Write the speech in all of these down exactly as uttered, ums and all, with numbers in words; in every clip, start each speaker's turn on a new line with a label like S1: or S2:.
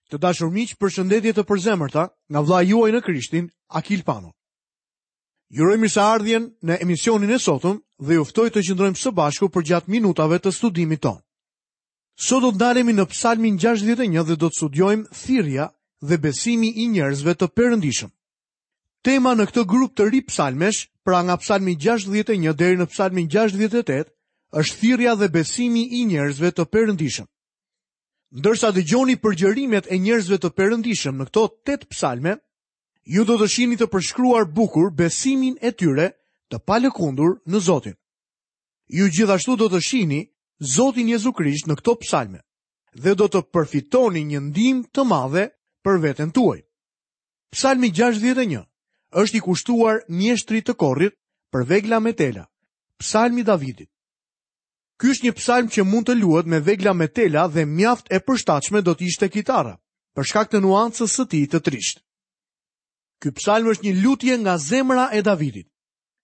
S1: Të dashur miq, përshëndetje të përzemërta nga vëllai juaj në Krishtin, Akil Pano. Ju uroj mirëseardhjen në emisionin e sotëm dhe ju ftoj të qëndrojmë së bashku përgjatë minutave të studimit tonë. Sot do të ndalemi në Psalmin gjashtëdhjetë e një dhe do të studiojmë thirrja dhe besimi i njerëzve të perëndishëm. Tema në këtë grup të ri psalmesh, pra nga Psalmi gjashtëdhjetë e një deri në Psalmin gjashtëdhjetë e tetë, është thirrja dhe besimi i njerëzve të perëndishëm. Ndërsa dëgjoni përgjërimet e njerëzve të perëndishëm në këto tetë psalme, ju do të shihni të përshkruar bukur besimin e tyre të palëkundur në Zotin. Ju gjithashtu do të shihni Zotin Jezu Krisht në këto psalme dhe do të përfitoni një ndihmë të madhe për veten tuaj. Psalmi gjashtëdhjetë e një është i kushtuar mjeshtrit të korrit për vegla me tela, Psalmi Davidit. Ky është një psalm që mund të luhet me vegla me tela dhe mjaft e përshtatshme do të ishte kitara, për shkak të nuancës së tij të trishtë. Ky psalm është një lutje nga zemra e Davidit.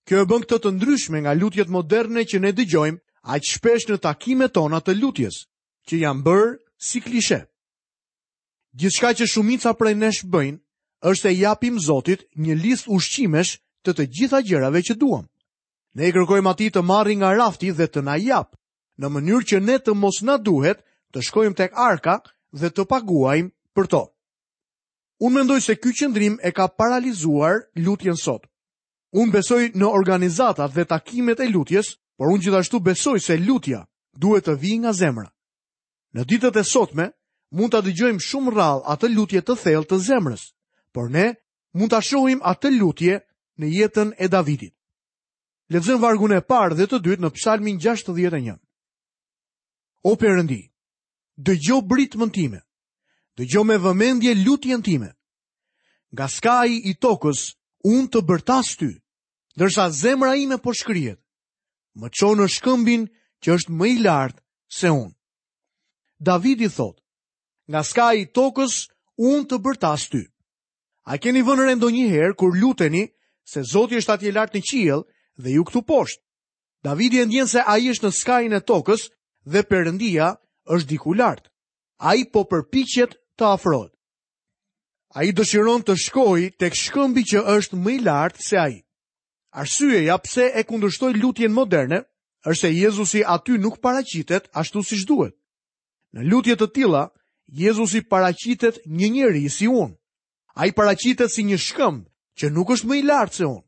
S1: Kjo e bën këtë të ndryshme nga lutjet moderne që ne dëgjojmë aq shpesh në takimet tona të lutjes, që janë bërë si klishe. Gjithçka që shumica prej nesh bëjnë është se japim Zotit një listë ushqimesh të të gjitha gjërave që duam. Ne i kërkojmë atij të marrë nga rafti dhe të na japë, në mënyrë që ne të mos na duhet të shkojmë tek arka dhe të paguajmë për to. Unë mendoj se ky qëndrim e ka paralizuar lutjen sot. Unë besoj në organizatat dhe takimet e lutjes, por unë gjithashtu besoj se lutja duhet të vijë nga zemra. Në ditët e sotme, mund ta dëgjojmë shumë rrallë atë lutje të thellë të zemrës, por ne mund ta shohim atë lutje në jetën e Davidit. Lexojmë vargun e parë dhe të dytë në Psalmin gjashtëdhjetë e një. O Perëndi, dëgjo britmën time, dëgjo me vëmendje lutjen time. Nga skaji i tokës unë të bërtas ty, ndërsa zemra ime po shkrihet. Më çon në shkëmbin që është më i lartë se unë. Davidi thotë, nga skaji i tokës unë të bërtas ty. A keni vënë re ndonjëherë kur luteni se Zoti është atje lart në qiell dhe ju këtu poshtë? Davidi e ndjen se ai është në skajin e tokës dhe Perëndia është diku lart. Ai po përpiqet të afrohet. Ai dëshiron të shkojë tek shkëmbi që është më i lartë se ai. Arsyeja pse e kundërshtoi lutjen moderne është se Jezusi aty nuk paraqitet ashtu siç duhet. Në lutje të tilla, Jezusi paraqitet një njeri si unë. Ai paraqitet si një shkëmb që nuk është më i lartë se unë.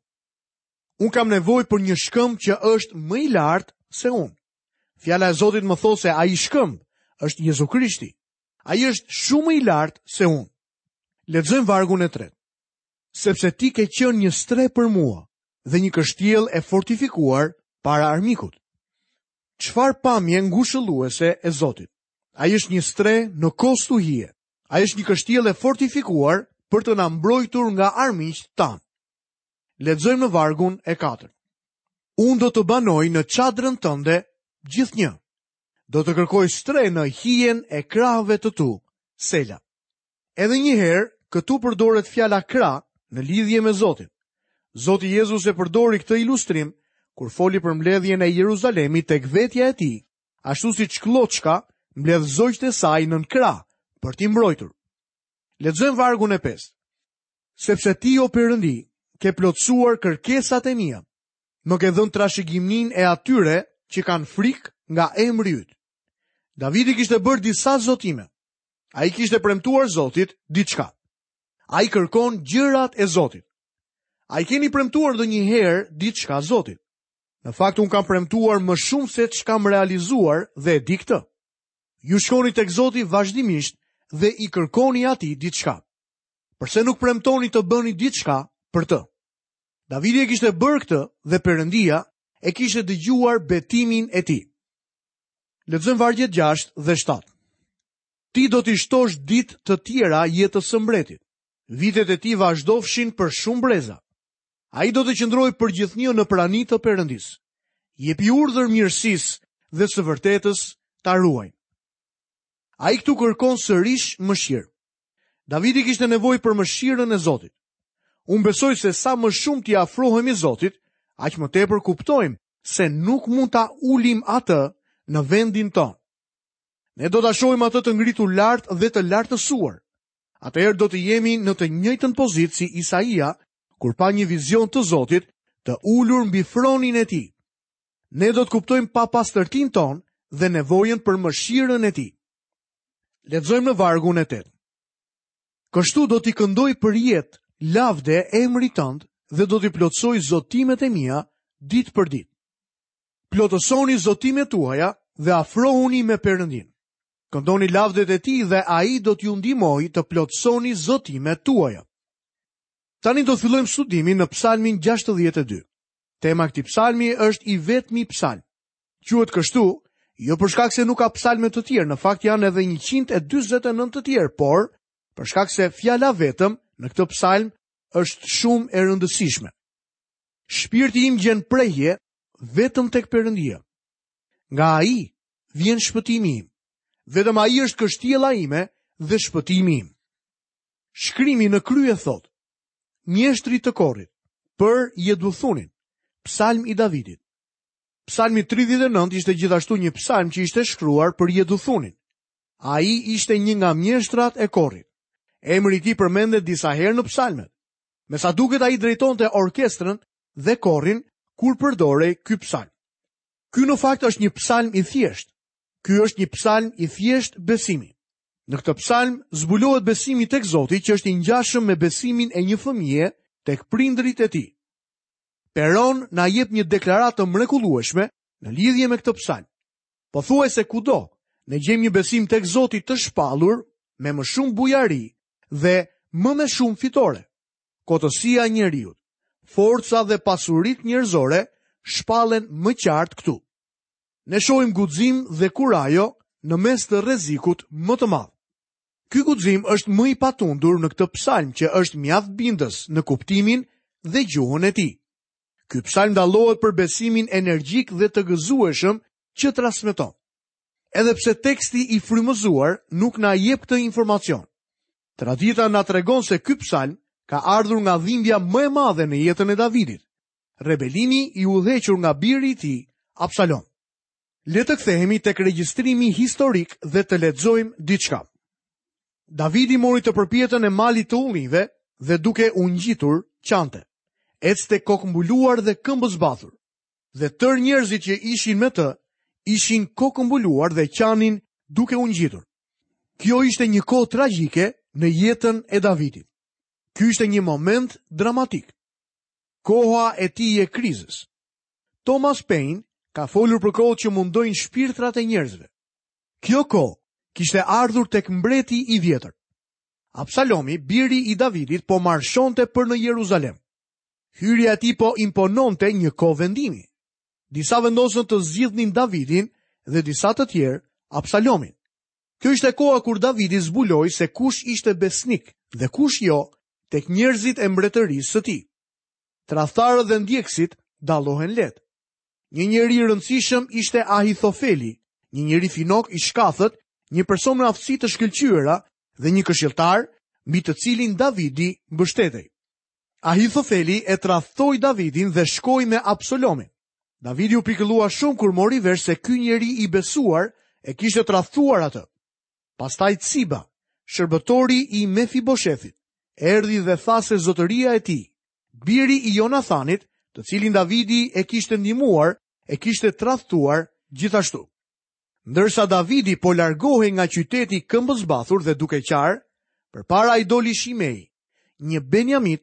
S1: Unë kam nevojë për një shkëmb që është më i lartë se unë. Fjala e Zotit më thotë se ai shkëmb është Jezu Krishti. Ai është shumë më i lartë se unë. Lexojmë vargun e tretë. Sepse ti ke qenë një strehë për mua dhe një kështjellë e fortifikuar para armikut. Çfarë pamje ngushëlluese e Zotit. Ai është një strehë në kohë stuhie. Ai është një kështjellë e fortifikuar për të na mbrojtur nga armiqtë tanë. Lexojmë në vargun e katërt. Unë do të banoj në çadrën tënde gjithnjë. Do të kërkoj strehë në hijen e krahëve të tu, Sela. Edhe një herë, këtu përdoret fjala krah në lidhje me Zotin. Zoti Jezus e përdori këtë ilustrim kur foli për mbledhjen e Jeruzalemit tek vetja e tij, ashtu siç klloçka mbledh zogjtë e saj nën krah për t'i mbrojtur. Lexojmë vargun e pestë. Sepse ti, o Perëndi, ke plotësuar kërkesat e mia. Më ke dhënë trashëgiminë e atyre që kanë frikë nga emri yt. Davidi kishte bërë disa zotime. Ai kishte premtuar Zotit diçka. Ai kërkon gjërat e Zotit. A i keni premtuar ndonjëherë diçka Zotit? Në fakt unë kam premtuar më shumë se ç'kam realizuar dhe e di këtë. Ju shkoni tek Zoti vazhdimisht dhe i kërkoni atij diçka. Përse nuk premtoni të bëni diçka për të? Davidi e kishte bërë këtë dhe Perëndia e kishte dëgjuar betimin e tij. Lexojmë vargjet gjashtë dhe shtatë. Ti do t'i shtosh ditë të tjera jetës së mbretit. Vitet e tij vazhdofshin për shumë breza. Ai do të qëndrojë përgjithnjë në prani të Perëndisë. Jepi urdhër mirësisë dhe së vërtetës ta ruajnë. Ai këtu kërkon sërish mëshirë. Davidi kishte nevojë për mëshirën e Zotit. Unë besoj se sa më shumë t'i afrohemi Zotit, aq më tepër kuptojmë se nuk mund ta ulim atë në vendin tonë. Ne do ta shohim atë të ngritur lart dhe të lartësuar. Atëherë do të jemi në të njëjtën pozitë si Isaia, kur pa një vizion të Zotit të ulur mbi fronin e tij. Ne do të kuptojmë papastërtinë tonë dhe nevojën për mëshirën e tij. Lexojmë në vargun e tetë. Kështu do t'i këndoj për jetë lavde emrit tënd dhe do t'i plotësoj zotimet e mia ditë për ditë. Plotësoni zotimet tuaja dhe afrohuni me Perëndin. Këndoni lavdet e tij dhe ai do t'ju ndihmojë të plotësoni zotimet tuaja. Tani do të fillojmë studimin në Psalmin gjashtëdhjetë e dy. Tema e këtij psalmi është i vetmi psalm. Quhet kështu, jo për shkak se nuk ka psalme të tjerë, në fakt janë edhe njëqind e dyzet e nëntë të tjerë, por për shkak se fjala vetëm në këtë psalm është shumë e rëndësishme. Shpirti im gjen prehje vetëm tek Perëndia. Nga ai vjen shpëtimi im. Vetëm ai është kështjella ime dhe shpëtimi im. Shkrimi në krye thotë: Mjeshtri të korit, për Jeduthunin, psalm i Davidit. Psalmi tridhjetë e nëntë ishte gjithashtu një psalm që ishte shkruar për Jeduthunin. Ai ishte një nga mjeshtrat e korit. Emri i tij përmendet disa herë në psalmet. Me sa duket ai drejtonte orkestrën dhe korin kur përdorej ky psalm. Ky në fakt është një psalm i thjeshtë. Ky është një psalm i thjeshtë besimi. Në këtë psalm zbulohet besimi tek Zoti, që është i ngjashëm me besimin e një fëmije tek prindërit e tij. Peron na jep një deklaratë të mrekullueshme në lidhje me këtë psalm. Pothuajse kudo ne gjejmë një besim tek Zoti të shpallur me më shumë bujari dhe më me shumë fitore. Kotësia e njeriut, forca dhe pasuritë njerëzore shpallen më qartë këtu. Ne shohim guxim dhe kurajo në mes të rrezikut më të madh. Ky guxim është më i patundur në këtë psalm që është mjaft bindës në kuptimin dhe gjuhën e tij. Ky psalm dallohet për besimin energjik dhe të gëzueshëm që transmeton. Edhe pse teksti i frymëzuar nuk na jep këtë informacion. Tradita na tregon se ky psalm ka ardhur nga dhimbja më e madhe në jetën e Davidit, rebelimi i udhëhequr nga biri i tij, Absalom. Le të kthehemi tek regjistrimi historik dhe të lexojmë diçka. Davidi mori të përpjetën e malit të ullinjve dhe duke u ngjitur qante. Ecte kokëmbuluar dhe këmbëzbathur. Dhe tërë njerëzit që ishin me të ishin kokëmbuluar dhe qanin duke u ngjitur. Kjo ishte një kohë tragjike në jetën e Davidit. Ky ishte një moment dramatik. Koha e tij e krizës. Thomas Paine ka folur për kohët që mundojnë shpirtrat e njerëzve. Kjo kohë kishte ardhur tek mbreti i vjetër. Absalomi, biri i Davidit, po marshonte për në Jeruzalem. Hyrja e tij po impononte një kohë vendimi. Disa vendosën të zgjidhnin Davidin dhe disa të tjerë Absalomin. Kjo ishte koha kur Davidi zbuloi se kush ishte besnik dhe kush jo tek njerëzit e mbretërisë së tij. Tradhtarët dhe ndjekësit dallohen lehtë. Një njeri i rëndësishëm ishte Ahithofeli, një njeri finok i shkathët, një person me aftësi të shkëlqyera dhe një këshilltar mbi të cilin Davidi mbështetej. Ahithofeli e tradhtoi Davidin dhe shkoi me Absalomin. Davidi u pikëllua shumë kur mori vesh se ky njeri i besuar e kishte tradhtuar atë. Pastaj Ciba, shërbëtori i Mefiboshethit, erdhi dhe tha se zotëria e tij, biri i Jonathanit, të cilin Davidi e kishte ndihmuar, e kishte tradhtuar gjithashtu. Ndërsa Davidi po largohej nga qyteti këmbëzbathur dhe duke qarë, përpara i doli Shimei, një Benjamit,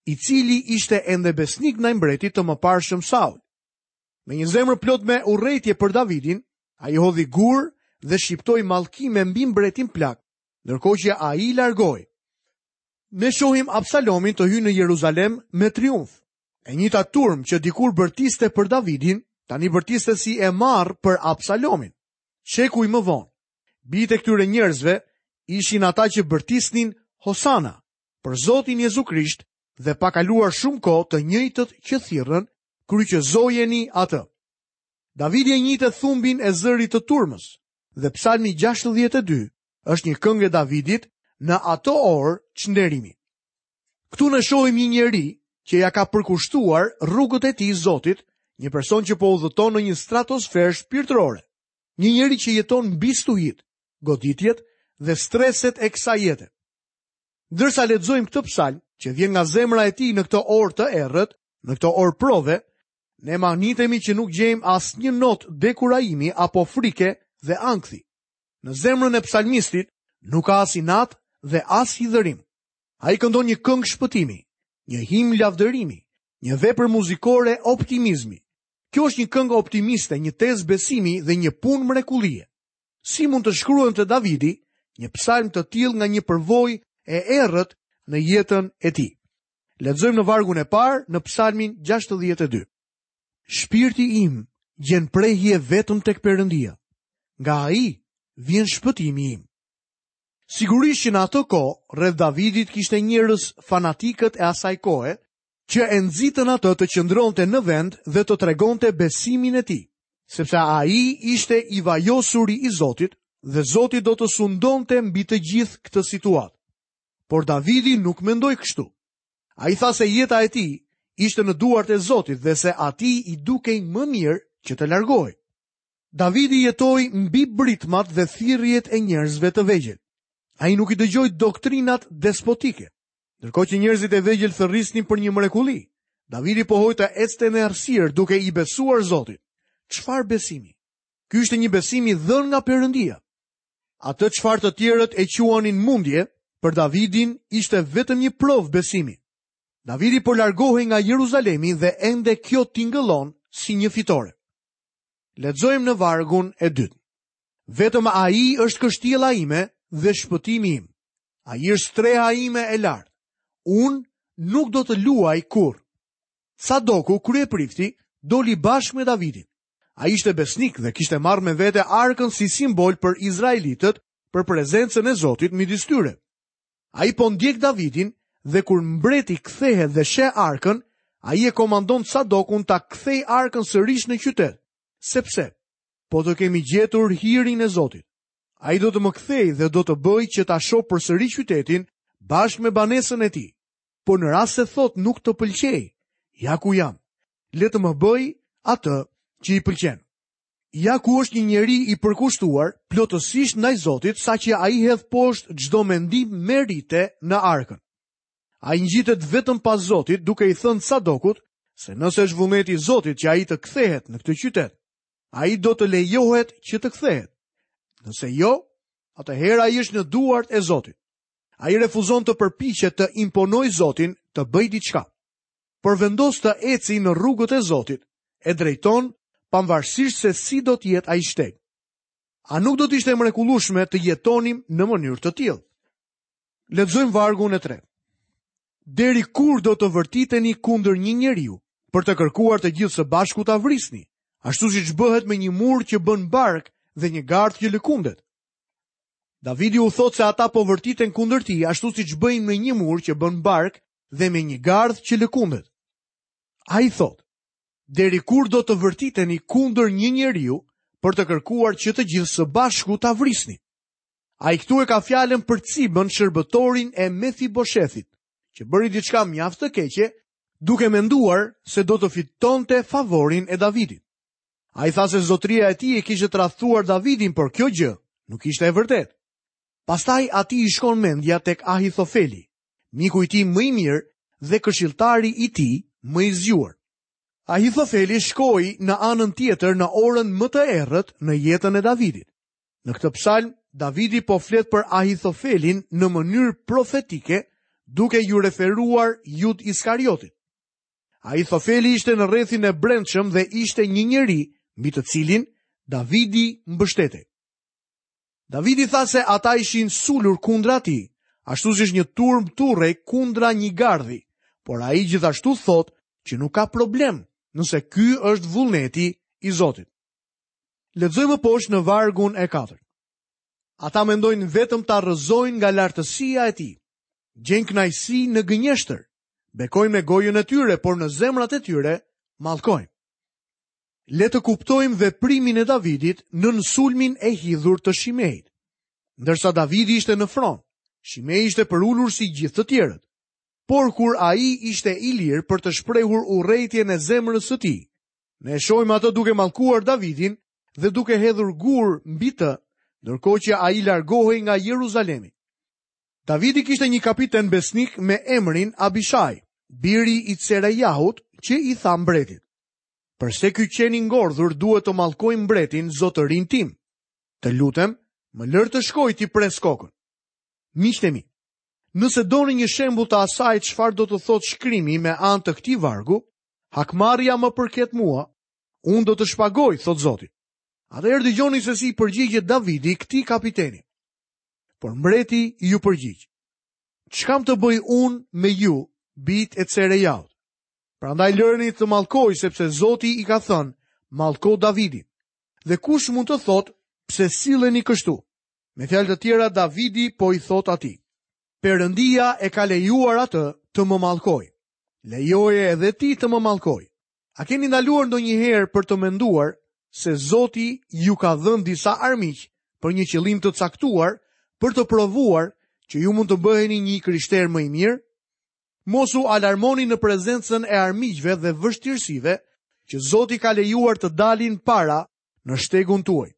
S1: i cili ishte ende besnik ndaj mbretit të mëparshëm Saul. Me një zemër plot me urrejtje për Davidin, ai hodhi gur dhe shqiptoi mallkime mbi mbretin plak, ndërkohë që ai largohej. Ne shohim Absalomin të hyjë në Jeruzalem me triumf. E njëjta turmë që dikur bërtiste për Davidin, tani bërtiste si e marrë për Absalomin. Shekuj më vonë, bijtë e këtyre njerëzve ishin ata që bërtisnin Hosana për Zotin Jezu Krisht dhe pa kaluar shumë kohë të njëjtët që thirrën, kryqëzojeni atë. Davidi e njihte thumbin e zërit të turmës dhe Psalmi gjashtëdhjetë e dy është një këngë e Davidit në ato orë çnderimi. Këtu ne shohim një njeri që ja ka përkushtuar rrugët e tij Zotit, një person që po udhëton në një stratosferë shpirtërore, një njeri që jeton mbi stuhit, goditjet dhe streset e kësaj jete. Ndërsa lexojmë këtë psalm, që vjen nga zemra e tij në këtë orë të errët, në këtë orë prove, ne mahnitemi që nuk gjejmë asnjë notë dekurajimi apo frike dhe ankthi. Në zemrën e psalmistit nuk ka as inat dhe as hidhërim. Ai këndon një këngë shpëtimi, një himn lavdërimi, një vepër muzikore optimizmi. Kjo është një këngë optimiste, një tezë besimi dhe një punë mrekullie. Si mund të shkruante Davidi një psalm të tillë nga një përvojë e errët në jetën e tij? Lexojmë në vargun e parë në psalmin gjashtëdhjetë e dy. Shpirti im gjen prehje vetëm tek Perëndia. Nga ai vjen shpëtimi im. Sigurisht që në atë kohë, rreth Davidit kishte njerëz fanatikët e asaj kohe, që e nxitën atë të qëndronte në vend dhe të tregonte besimin e tij, sepse ai ishte i vajosuri i Zotit dhe Zoti do të sundonte mbi të gjithë këtë situatë. Por Davidi nuk mendoi kështu. Ai tha se jeta e tij ishte në duart e Zotit dhe se atij i dukej më mirë që të largohej. Davidi jetoi mbi britmat dhe thirrjet e njerëzve të vegjël. Ai nuk i dëgjoi doktrinat despotike. Ndërkohë që njerëzit e vegjël thërrisnin për një mrekulli, Davidi pohoi të ecte në errësirë duke i besuar Zotit. Çfarë besimi? Ky ishte një besim i dhënë nga Perëndia. Atë çfarë të tjerët e quanin mundje, për Davidin ishte vetëm një provë besimi. Davidi po largohej nga Jeruzalemi dhe ende kjo tingëllon si një fitore. Lexojmë në vargun e dytë. Vetëm ai është kështjella ime dhe shpëtimi im. Ai është streha ime e lartë. Unë nuk do të luaj kurrë. Sadoku, kryeprifti, doli bashkë me Davidin. Ai ishte besnik dhe kishte marrë me vete arkën si simbol për izraelitët, për prezencën e Zotit midis tyre. Ai po ndjek Davidin dhe kur mbreti kthehet dhe sheh arkën, ai e komandon Sadokun ta kthej arkën sërish në qytet, sepse po të kemi gjetur hirin e Zotit. Ai do të më kthej dhe do të bëj që ta shoh përsëri qytetin bashkë me banesën e tij. Por në rast se thot nuk të pëlqej, ja ku jam. Le të më bëj atë që i pëlqen. Ja ku është një njeri i përkushtuar plotësisht ndaj Zotit, saqë ai hedh poshtë çdo mendim merite në arkën. Ai ngjitet vetëm pas Zotit, duke i thënë Sadokut se nëse është vullneti i Zotit që ai të kthehet në këtë qytet, ai do të lejohet që të kthehet. Nëse jo, atëherë ai është në duart e Zotit. Ai refuzon të përpiqet të imponojë Zotin të bëjë diçka, por vendos të eci në rrugët e Zotit, e drejton pavarësisht se si do të jetë ai shteg. A nuk do të ishte e mrekullueshme të jetonim në mënyrë të tillë? Lexojmë vargun e tretë. Deri kur do të vërtiteni kundër një njeriu, për të kërkuar të gjithë së bashku ta vrisni, ashtu siç bëhet me një mur që bën bark dhe një gardh që lëkundet? Davidi u thotë se ata po vërtiten kundër tij, ashtu siç bëjnë me një mur që bën bark dhe me një gardh që lëkundet. Ai thotë, deri kur do të vërtiteni kundër një njeriu për të kërkuar që të gjithë së bashku ta vrisni? Ai këtu e ka fjalën për Cibën, shërbëtorin e Mefiboshethit, që bëri diçka mjaft të keqe, duke menduar se do të fitonte favorin e Davidit. Ai tha se zotëria e tij e kishte tradhtuar Davidin, por kjo gjë nuk ishte e vërtetë. Pastaj atij i shkon mendja tek Ahithofeli, miku i tij më i mirë dhe këshilltari i tij më i zgjuar. Ahithofeli shkoi në anën tjetër në orën më të errët në jetën e Davidit. Në këtë psalm, Davidi po flet për Ahithofelin në mënyrë profetike, duke ju referuar Jud Iskariotit. Ahithofeli ishte në rrethin e brendshëm dhe ishte një njeri mbi të cilin Davidi mbështetej. Davidi tha se ata ishin sulur kundra tij, ashtu siç një turm turrej kundra një gardhi, por ai gjithashtu thotë që nuk ka problem nëse ky është vullneti i Zotit. Lexojmë poshtë në vargun e katërt. Ata mendojnë vetëm ta rrëzojnë nga lartësia e tij. Gjejnë kënaqësi në gënjeshtër, bekojnë me gojën e tyre, por në zemrat e tyre mallkojnë. Le të kuptojmë veprimin e Davidit nën sulmin e hidhur të Shimeit. Ndërsa Davidi ishte në fron, Shimei ishte përulur si gjithë të tjerët. Por kur ai ishte i lirë për të shprehur urrejtjen e zemrës së tij, ne e shohim atë duke mallkuar Davidin dhe duke hedhur gur mbi të, ndërkohë që ai largohej nga Jeruzalemi. Davidi kishte një kapiten besnik me emrin Abishai, biri i Tserejahut, që i tha mbretit: "Përse ky qen i ngordhur duhet të mallkojë mbretin zotërin tim? Të lutem, më lër të shkoj t'i pres kokën." Miqtë e mi, nëse doni një shembull të asaj çfarë do të thotë shkrimi me anë të këtij vargu, hakmarrja më përket mua, unë do të shpagoj, thot Zoti. Atëherë dëgjoni se si i përgjigjet Davidi këtij kapiteni. Por mbreti ju përgjigj: "Ç'kam të bëj unë me ju, bijt e Tserejahut? Prandaj lëreni të mallkoj, sepse Zoti i ka thënë, mallko Davidin. Dhe kush mund të thotë, pse silleni kështu?" Me fjalë të tjera, Davidi po i thot atij: Perëndia e ka lejuar atë të më mallkoj. Lejoje edhe ti të më mallkoj. A keni ndaluar ndonjëherë për të menduar se Zoti ju ka dhënë disa armiq për një qëllim të caktuar, për të provuar që ju mund të bëheni një krishter më i mirë? Mos u alarmoni në prezencën e armiqve dhe vështirësive që Zoti ka lejuar të dalin para në shtegun tuaj.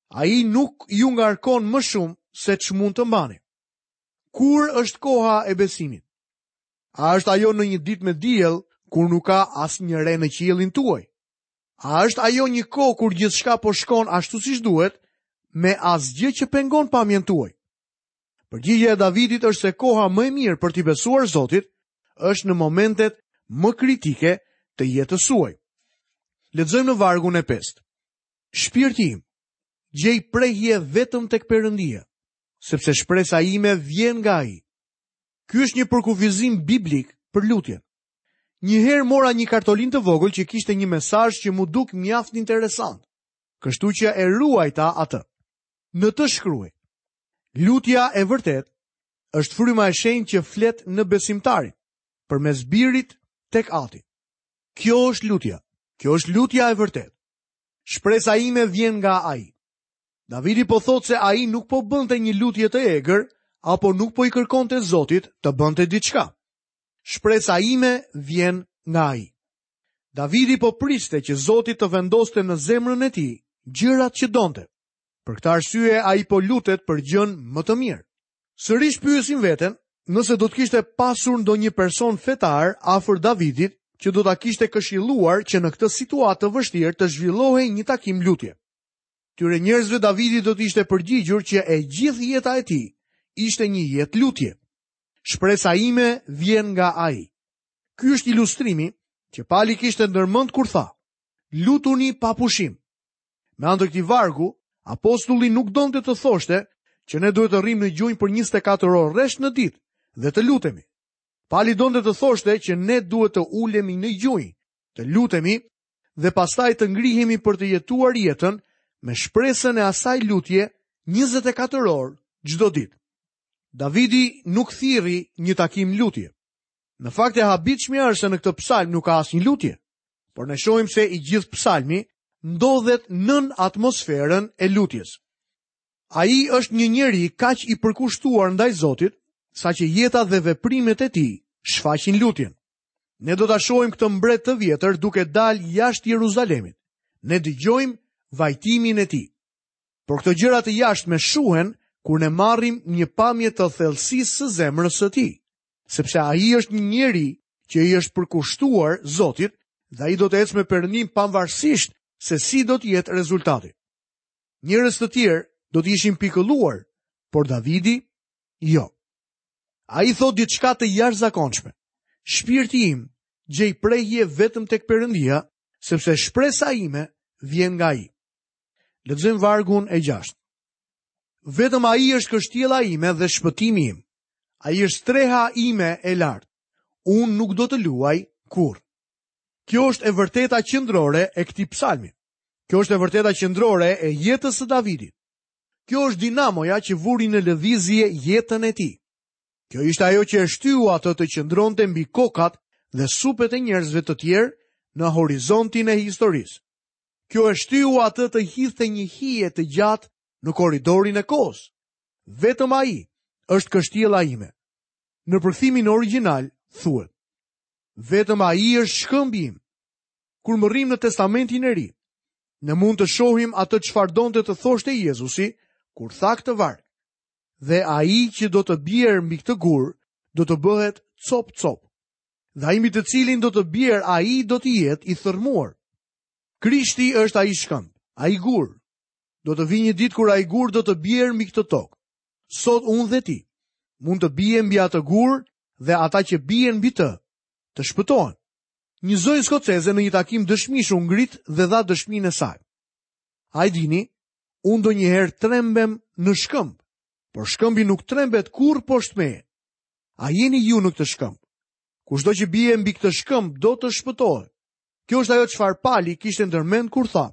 S1: Ai nuk ju ngarkon më shumë se ç'mund të mbani. Kur është koha e besimit? A është ajo në një ditë me diell kur nuk ka asnjë re në qiellin tuaj? A është ajo një kohë kur gjithçka po shkon ashtu siç duhet, me asgjë që pengon pamjen tuaj? Përgjigjja e Davidit është se koha më e mirë për t'i besuar Zotit është në momentet më kritike të jetës suaj. Lexojmë në vargun e pestë. Shpirti im, gjej prehje vetëm tek Perëndia, sepse shpresa ime vjen nga Ai. Ky është një përkufizim biblik për lutjen. Një herë mora një kartolinë të vogël që kishte një mesazh që mu duk mjaft interesant, kështu që e ruajta atë. Në të shkruaj: Lutja e vërtet është fryma e shenjtë që flet në besimtarin, përmes birit tek Ati. Kjo është lutja. Kjo është lutja e vërtet. Shpresa ime vjen nga Ai. Davidi po thotë se ai nuk po bënte një lutje të egër apo nuk po i kërkonte Zotit të bënte diçka. Shpresa ime vjen nga Ai. Davidi po priste që Zoti të vendoste në zemrën e tij gjërat që donte. Për këtë arsye ai po lutet për gjën më të mirë. Sërish pyesim veten nëse do të kishte pasur ndonjë person fetar afër Davidit që do ta kishte këshilluar që në këtë situatë të vështirë të zhvillohej një takim lutje. Tyre njerëzve Davidi do të ishte përgjigjur që e gjithë jeta e tij ishte një jetë lutje. Shpresa ime vjen nga Ai. Ky është ilustrimi që Pali kishte ndërmend kur tha: Lutuni pa pushim. Me anë të këtij vargu, apostulli nuk donte të thoshte që ne duhet të rrim në gjunjë për njëzet e katër orë rresht në ditë dhe të lutemi. Pali donte të thoshte që ne duhet të ulemi në gjunjë, të lutemi dhe pastaj të ngrihemi për të jetuar jetën me shpresën e asaj lutje njëzet e katër orë çdo ditë. Davidi nuk thirri një takim lutje. Në fakt e habitshmja është se në këtë psalm nuk ka asnjë lutje, por ne shohim se i gjithë psalmi ndodhet nën atmosferën e lutjes. Ai është një njeri kaq i përkushtuar ndaj Zotit, saqë jeta dhe veprimet e tij shfaqin lutjen. Ne do ta shohim këtë mbret të vjetër duke dalë jashtë Jeruzalemit. Ne dëgjojmë vajtimin e tij. Por këto gjëra të jashtme shuhen kur ne marrim një pamje të thellësisë së zemrës së tij, sepse ai është një njeri që i është përkushtuar Zotit dhe ai do të ecë me Perëndin pavarësisht se si do të jetë rezultati. Njerëz të tjerë do të ishin pikëlluar, por Davidi jo. Ai thot diçka të jashtëzakonshme. Shpirti im gjej prehje vetëm tek Perëndia, sepse shpresa ime vjen nga ai. Lexojmë vargun e gjashtë. Vetëm ai është kështjella ime dhe shpëtimi im. Ai është streha ime e lartë. Unë nuk do të luaj kurrë. Kjo është e vërteta qendrore e këtij psalmi. Kjo është e vërteta qendrore e jetës së Davidit. Kjo është dinamoja që vuri në lëvizje jetën e tij. Kjo ishte ajo që e shtyu atë të qëndronte mbi kokat dhe supet e njerëzve të tjerë në horizontin e historisë. Kjo e shtyu atë të hidhte një hije të gjatë në korridorin e kohës. Vetëm ai është kështjella ime. Në përkthimin origjinal thuhet: Vetëm ai është shkëmbi im. Kur mbërrim në Testamentin e Ri, ne mund të shohim atë çfarë donte të thoshte Jezusi kur tha këtë varg. Dhe ai që do të bjerë mbi këtë gur, do të bëhet copë-copë. Dhe ai mbi të cilin do të bjerë, ai do të jetë i thërrmuar. Krishti është ai shkëmb, ai gur. Do të vijë një ditë kur ai gur do të bjerë mbi këtë tokë. Sot unë dhe ti mund të biem mbi atë gur dhe ata që bien mbi të, të shpëtohen. Një zonjë skoceze në një takim dëshmish u ngrit dhe dha dëshminë e saj. A e dini, unë ndonjëherë trembem në shkëmb, por shkëmbi nuk trembet kurrë poshtë meje. A jeni ju në këtë shkëmb? Kushdo që bie mbi këtë shkëmb do të shpëtohet. Kjo është ajo çfarë Pali kishte ndërmend kur tha,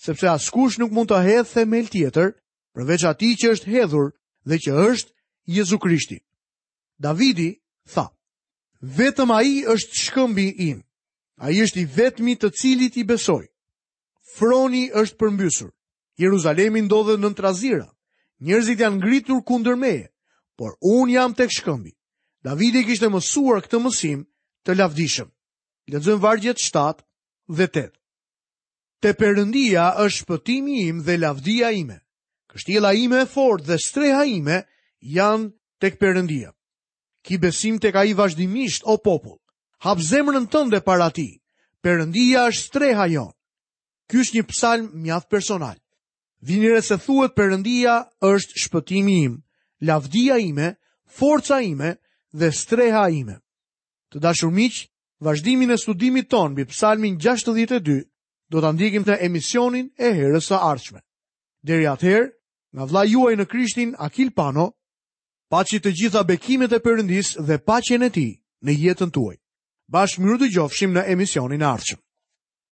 S1: sepse askush nuk mund të hedhë themel tjetër përveç atij që është hedhur dhe që është Jezu Krishti. Davidi tha, vetëm ai është shkëmbi im. Ai është i vetmi të cilit i besoj. Froni është përmbysur. Jeruzalemi ndodhet nën trazira. Njerëzit janë ngritur kundër meje, por unë jam tek shkëmbi. Davidi kishte mësuar këtë mësim të lavdishëm. Lexojmë vargjet shtatë dhe tetë. Te Perëndia është shpëtimi im dhe lavdia ime. Kështjella ime e fortë dhe streha ime janë tek Perëndia. Ki besim tek ai vazhdimisht, o popull. Hap zemrën tënde para tij. Perëndia është streha jonë. Ky është një psalm mjaft personal. Vini re se thuhet Perëndia është shpëtimi im, lavdia ime, forca ime dhe streha ime. Të dashur miq, vazhdimin e studimit ton mbi psalmin gjashtëdhjetë e dy do ta ndjekim në emisionin e herës së ardhshme. Deri atëherë, nga vëllai juaj në Krishtin Akil Pano, paçi të gjitha bekimet e Perëndisë dhe paqen e tij në jetën tuaj. Bashkë mirë dëgjofshim në emisionin e ardhshëm.